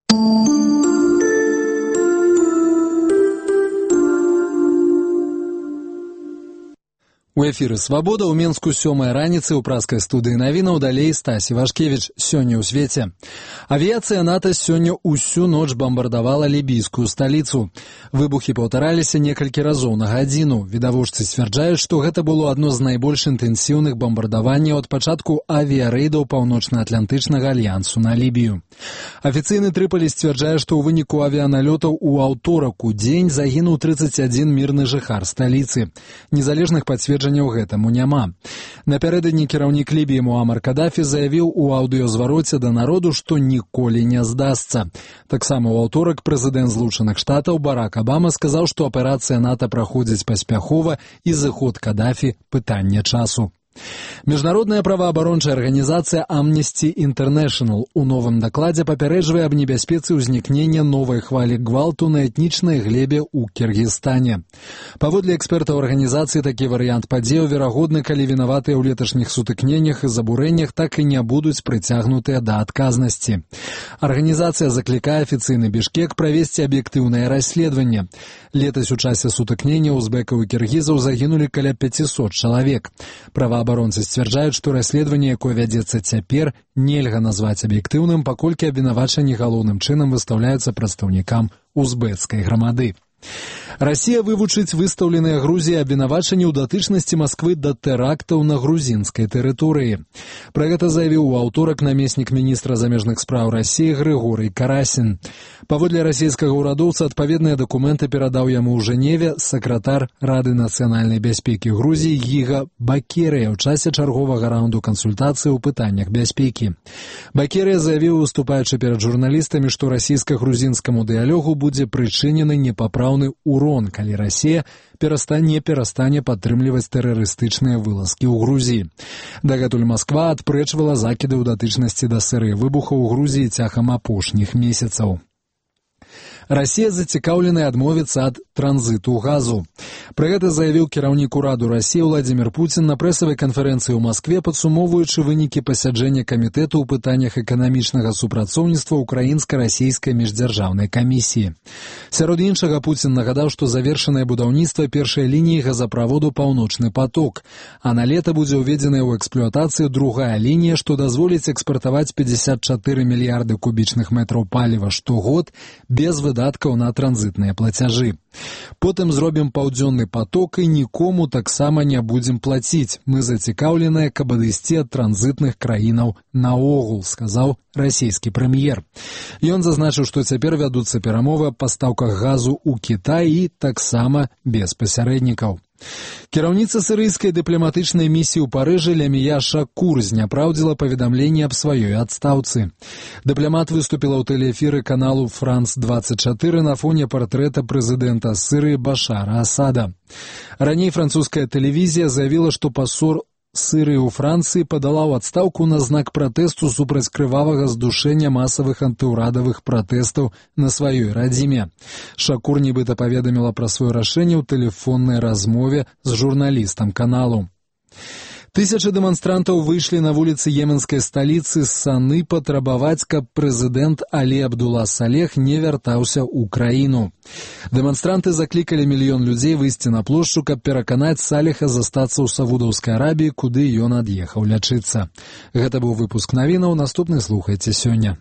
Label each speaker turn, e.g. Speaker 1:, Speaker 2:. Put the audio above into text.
Speaker 1: У эфіры «Свабода» ў Менску 7 раніцы ў праскай студыі навінаў далей Стасі Вашкевіч. Сёння ў свеце. Авіяцыя НАТО сёння ўсю ноч бамбардавала лібійскую сталіцу. Выбухі паўтараліся некалькі разоў на гадзіну. Відавочцы сцвярджаюць, што гэта было адно з найбольш інтэнсіўных бамбардаванняў ад пачатку авіярэйдаў Паўночна-Атлантычнага альянсу на Лібію. Афіцыйны Трыполі сцвярджае, што ў выніку авіяналётаў у аўторак у дзень загінуў 31 мірны жыхар сталіцы. Незалежных пацверджанняў гэтаму няма. Напярэдадні кіраўнік Лібіі Муамар Кадафі заявіў у аўдыёзвароце да народу, што ніколі не здасца. Таксама ў аўторак прэзідэнт Злучаных Штатаў Барак Абама сказаў, што аперацыя НАТО праходзіць паспяхова і зыход Кадафі – пытанне часу. Міжнародная праваабарончая арганізацыя Amnesty International у новым дакладзе папярэджвае аб небяспецы ўзнікнення новай хвалі гвалту на этнічнай глебе ў Кіргізстане. Паводле экспертаў арганізацыі, такі варыянт падзеяў верагодны, калі вінаватыя ў леташніх сутыкненнях і забурэннях так і не будуць прыцягнутыя да адказнасці. Арганізацыя заклікае афіцыйны Бішкек правесці аб'ектыўнае расследаванне. Летась у часе сутыкнення узбекаў і кіргізаў загінулі каля 500 чалавек. Праваабаронцы сцвярджаюць, што расследаванне, якое вядзецца цяпер, нельга назваць аб'ектыўным, паколькі абвінавачанні галоўным чынам выстаўляюцца прадстаўнікам узбекскай грамады. Расія вывучыць выстаўленыя Грузіі абвінавачанні ў датычнасці Масквы да тэрактаў на грузінскай тэрыторыі. Пра гэта заявіў у аўторак намеснік міністра замежных спраў Расіі Грыгорый Карасін. Паводле расійскага ўрадоўца адпаведныя дакументы перадаў яму ў Жэневе сакратар Рады нацыянальнай бяспекі Грузіі Гіга Бакерыя ў часе чарговага раунду кансультацыі ў пытаннях бяспекі. Бакерыя заявіў, выступаючы перад журналістамі, што расійска-грузінскаму дыялогу будзе прычынены непапраўны урон, калі Расія перастане падтрымліваць тэрарыстычныя вылазкі ў Грузіі. Дагэтуль Масква адпрэчвала закіды ў датычнасці да серыі выбухаў у Грузіі цягам апошніх месяцаў. Расія зацікаўленая адмовіцца ад транзіту газу. Пра гэта заявіў кіраўнік ураду Расіі Владзімір Пуцін на прэсавай канферэнцыі ў Маскве, падсумоўваючы вынікі пасяджэння камітэту ў пытаннях эканамічнага супрацоўніцтва украінска-расійскай міждзяржаўнай камісіі. Сярод іншага Пуцін нагадаў, што завершанае будаўніцтва першай лініі газаправоду «Паўночны поток», а на лета будзе ўведзеная ў эксплуатацыю другая лінія, што дазволіць экспартаваць 54 мільярды кубічных метраў паліва штогод без выдаткаў на транзітныя плацяжы. Потым зробім паўдзённы поток і нікому таксама не будзем плаціць. Мы зацікаўленыя, каб адысці ад транзітных краінаў наогул, сказаў расійскі прэм'ер. Ён зазначыў, што цяпер вядуцца перамовы аб пастаўках газу ў Кітай і таксама без пасярэднікаў. Кіраўніца сірыйскай дыпламатычнай місіі ў Парыжы Лямія Шакур зняпраўдзіла паведамленне аб сваёй адстаўцы. Дыпламат выступіла ў тэлеэфіры каналу «Франц-24» на фоне партрэта прэзідэнта Сірыі Башара Асада. Раней французская тэлевізія заявіла, што пасол Сірыі ў Францыі падала ў адстаўку на знак пратэсту супраць крывавага здушэння масавых антыўрадавых пратэстаў на сваёй радзіме. Шакур нібыта паведаміла пра сваё рашэнне ў тэлефоннай размове з журналістам каналу. Тысячы дэманстрантаў выйшлі на вуліцы йеменскай сталіцы Саны патрабаваць, каб прэзідэнт Алі Абдула Салех не вяртаўся ў краіну. Дэманстранты заклікалі мільён людзей выйсці на плошчу, каб пераканаць Салеха застацца ў Саудаўскай Арабіі, куды ён ад'ехаў лячыцца. Гэта быў выпуск навінаў, наступны слухайце сёння.